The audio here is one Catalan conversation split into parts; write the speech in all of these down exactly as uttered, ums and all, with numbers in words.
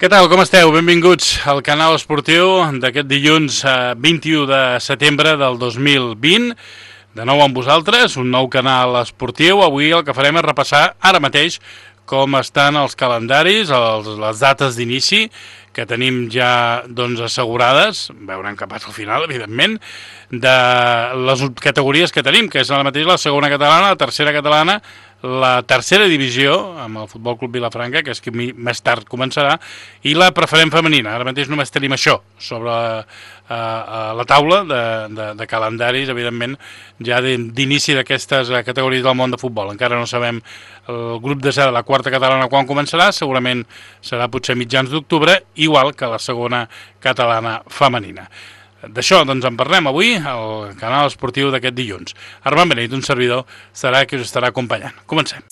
Què tal, com esteu? Benvinguts al canal esportiu d'aquest dilluns vint-i-u de setembre del dos mil vint. De nou amb vosaltres, un nou canal esportiu. Avui el que farem és repassar ara mateix com estan els calendaris, els, les dates d'inici que tenim ja doncs, assegurades, veurem què passa al final, evidentment, de les categories que tenim, que és ara mateix la segona catalana, la tercera catalana, la tercera divisió, amb el Futbol Club Vilafranca, que és que més tard començarà, i la preferent femenina. Ara mateix només tenim això sobre la, uh, la taula de, de, de calendaris, evidentment, ja d'inici d'aquestes categories del món de futbol. Encara no sabem el grup de de la quarta catalana quan començarà, segurament serà potser mitjans d'octubre, igual que la segona catalana femenina. D'això doncs en parlem avui al canal esportiu d'aquest dilluns. Armand Beneit, un servidor, serà qui us estarà acompanyant. Comencem.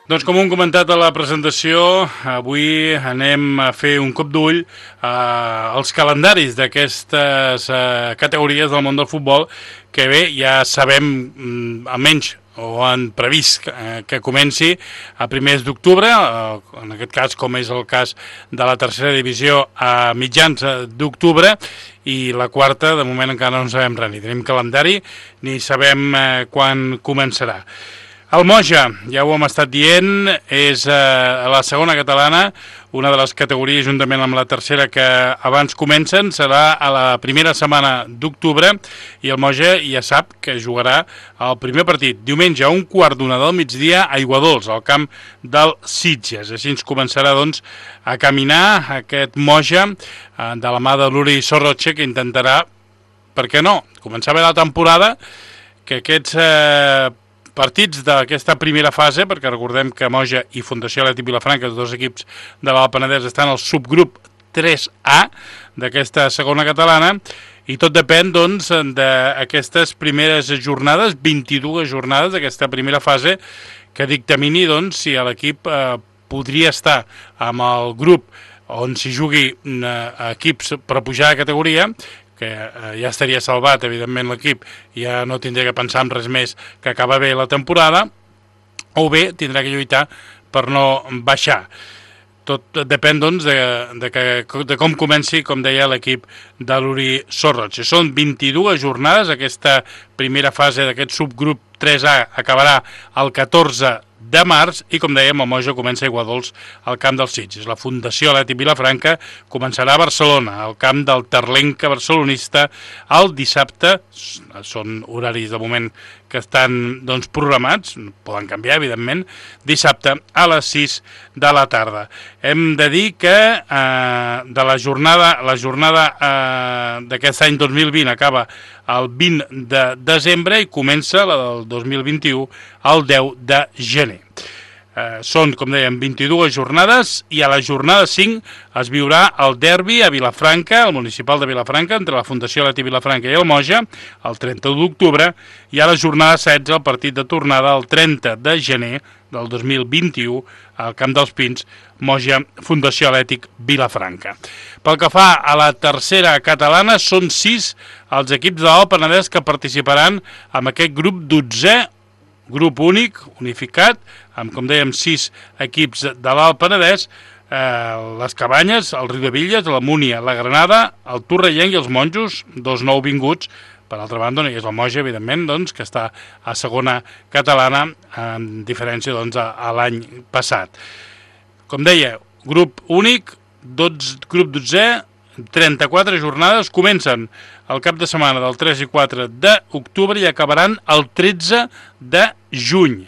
Doncs com hem comentat a la presentació, avui anem a fer un cop d'ull als calendaris d'aquestes eh, categories del món del futbol que bé, ja sabem almenys o han previst que, eh, que comenci a primers d'octubre, eh, en aquest cas com és el cas de la tercera divisió a mitjans d'octubre, i la quarta de moment encara no sabem res, ni tenim calendari ni sabem eh, quan començarà. El Moja, ja ho hem estat dient, és eh, la segona catalana, una de les categories juntament amb la tercera que abans comencen, serà a la primera setmana d'octubre, i el Moja ja sap que jugarà el primer partit diumenge a un quart d'una del migdia a Aiguadols, al camp del Sitges. Així ens començarà doncs a caminar aquest Moja eh, de la mà de l'Uri Sorroche, que intentarà, per què no, començar bé la temporada, que aquests eh, partits d'aquesta primera fase, perquè recordem que Moja i Fundació Atlètic Vilafranca, els dos equips de l'Alt Penedès, estan al subgrup tres A d'aquesta segona catalana, i tot depèn doncs d'aquestes primeres jornades, vint-i-dues jornades d'aquesta primera fase, que dictamini doncs si l'equip eh, podria estar amb el grup on s'hi jugui eh, equips per pujar de categoria, que eh, ja estaria salvat, evidentment, l'equip, ja no tindria que pensar en res més que acabar bé la temporada, o bé tindrà que lluitar per no baixar. Tot depèn, doncs, de, de, que, de com comenci, com deia, l'equip de l'Uri Sorroche. Són vint-i-dues jornades, aquesta primera fase d'aquest subgrup tres A acabarà el catorze de març, i com dèiem, el Moja comença a Aiguadols al camp dels Sitges. La Fundació Atlètic Vilafranca començarà a Barcelona, al camp del Terlenca barcelonista, el dissabte. Són horaris de moment que estan doncs, programats, poden canviar, evidentment, dissabte a les sis de la tarda. Hem de dir que eh, de la jornada, la jornada eh, d'aquest any dos mil vint acaba el vint de desembre i comença la del dos mil vint-i-u el deu de gener. Eh, són, com dèiem, vint-i-dues jornades, i a la jornada cinc es viurà el derbi a Vilafranca, al municipal de Vilafranca, entre la Fundació Atlètic Vilafranca i el Moja, el trenta d'octubre, i a la jornada setze el partit de tornada el trenta de gener del dos mil vint-i-u al Camp dels Pins, Moja, Fundació Atlètic Vilafranca. Pel que fa a la tercera catalana, són sis els equips de l'Alt Penedès que participaran en aquest grup dotzè, grup únic, unificat, amb, com dèiem, sis equips de l'Alt Penedès, eh, les Cabanyes, el Riudebitlles, la Múnia, la Granada, el Torrellenc i els Monjos, dos nouvinguts. Per altra banda, no hi és el Moja, evidentment, doncs, que està a segona catalana, en diferència doncs, a, a l'any passat. Com deia, grup únic, dotze, grup dotzè, trenta-quatre jornades, comencen el cap de setmana del tres i quatre d'octubre i acabaran el tretze de juny.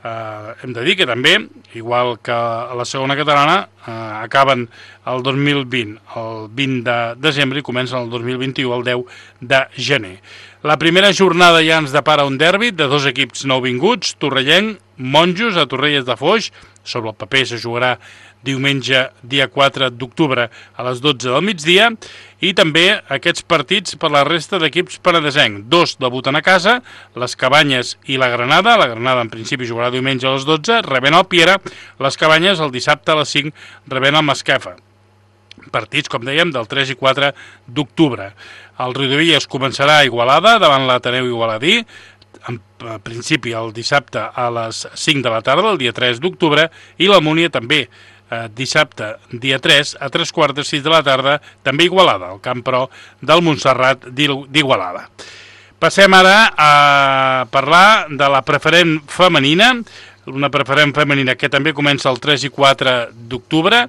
Uh, hem de dir que també, igual que a la segona catalana, uh, acaben el dos mil vint, el vint de desembre, i comencen el dos mil vint-i-u, el deu de gener. La primera jornada ja ens depara un derbi de dos equips nouvinguts, Torrellenc, Monjos, a Torrelles de Foix. Sobre el paper se jugarà diumenge, dia quatre d'octubre, a les dotze del migdia, i també aquests partits per la resta d'equips penedesencs. Dos debuten a casa, les Cabanyes i la Granada. La Granada en principi jugarà diumenge a les dotze, rebent el Piera. Les Cabanyes el dissabte a les cinc, rebent el Masquefa. Partits, com dèiem, del tres i quatre d'octubre. El Riudebitlles començarà a Igualada, davant l'Ateneu Igualadí. en principi el dissabte a les cinc de la tarda, el dia tres d'octubre, i la Múnia també eh, dissabte, dia tres, a tres quarts de sis de la tarda, també Igualada, al Camp Pro del Montserrat d'Igualada. Passem ara a parlar de la preferent femenina, una preferent femenina que també comença el tres i quatre d'octubre.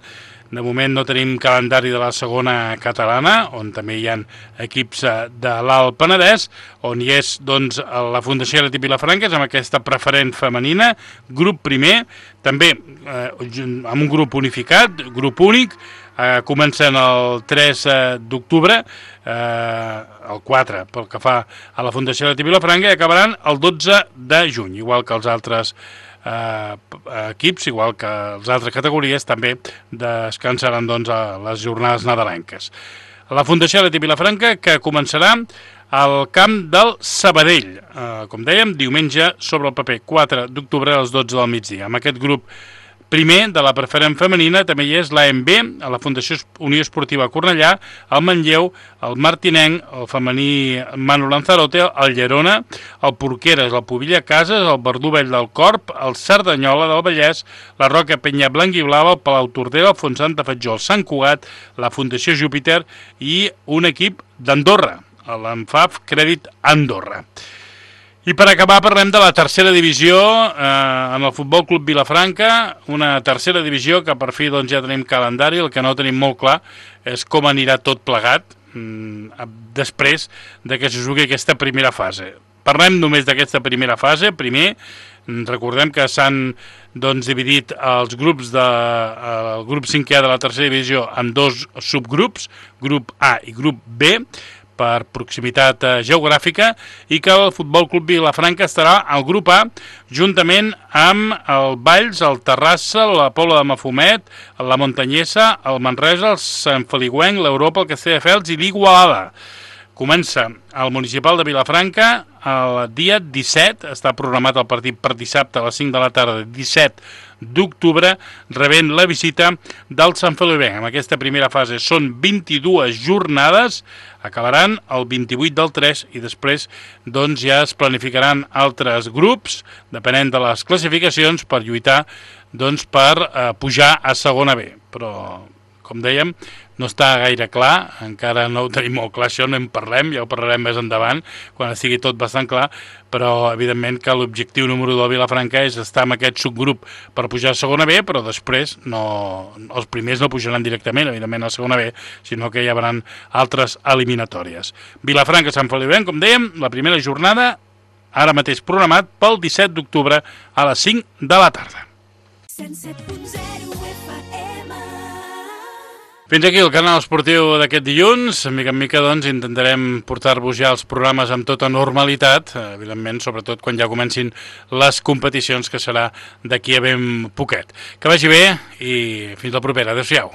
De moment no tenim calendari de la segona catalana, on també hi ha equips de l'Alt Penedès, on hi és doncs, la Fundació Atlètic Vilafranca, amb aquesta preferent femenina, grup primer, també eh, amb un grup unificat, grup únic, eh, comencen el tres d'octubre, eh, el quatre pel que fa a la Fundació Atlètic Vilafranca, i acabaran el dotze de juny, igual que els altres Uh, equips, igual que les altres categories, també descansaran doncs, a les jornades nadalenques. La Fundació Atlètic Vilafranca, que començarà al camp del Sabadell, uh, com dèiem, diumenge sobre el paper, quatre d'octubre a les dotze del migdia. Amb aquest grup primer de la preferent femenina també hi és l'A M B, a la Fundació Unió Esportiva Cornellà, el Manlleu, el Martinenc, el femení Manu Lanzarote, el Llerona, el Porqueres, el Pobilla Cases, el Verdú Vell del Corp, el Cerdanyola del Vallès, la Roca Penya Blanc i Blava, el Palau Tordera, el Fontsant de Fatjó, el Sant Cugat, la Fundació Júpiter i un equip d'Andorra, l'Enfaf Crèdit Andorra. I per acabar parlem de la tercera divisió eh, en el Futbol Club Vilafranca, una tercera divisió que per fi doncs, ja tenim calendari, el que no tenim molt clar és com anirà tot plegat mm, després de que se jugui aquesta primera fase. Parlem només d'aquesta primera fase. Primer, recordem que s'han doncs, dividit els grups de, el grup cinquè de la tercera divisió en dos subgrups, grup A i grup B, per proximitat geogràfica, i que el Futbol Club Vilafranca estarà al grup A juntament amb el Valls, el Terrassa, la Pobla de Mafumet, la Montanyesa, el Manresa, el Sant Feliuenc, l'Europa, el Castelldefels i l'Igualada. Comença al municipal de Vilafranca el dia disset, està programat el partit per dissabte a les cinc de la tarda, disset d'octubre, rebent la visita del Sant Feliuenc. En aquesta primera fase són vint-i-dues jornades, acabaran el vint-i-vuit del tres i després doncs, ja es planificaran altres grups, depenent de les classificacions, per lluitar doncs, per eh, pujar a segona B. Però, com dèiem, no està gaire clar, encara no ho tenim molt clar, això no en parlem, ja ho parlarem més endavant, quan estigui tot bastant clar, però evidentment que l'objectiu número del Vilafranca és estar en aquest subgrup per pujar a segona B, però després no, els primers no pujaran directament, evidentment, a segona B, sinó que hi haurà altres eliminatòries. Vilafranca-Sant Feliuenc, com dèiem, la primera jornada, ara mateix programat pel disset d'octubre a les cinc de la tarda. Fins aquí el canal esportiu d'aquest dilluns. Mica en mica doncs, intentarem portar-vos ja els programes amb tota normalitat, evidentment, sobretot quan ja comencin les competicions, que serà d'aquí a ben poquet. Que vagi bé i fins la propera. Adéu-siau.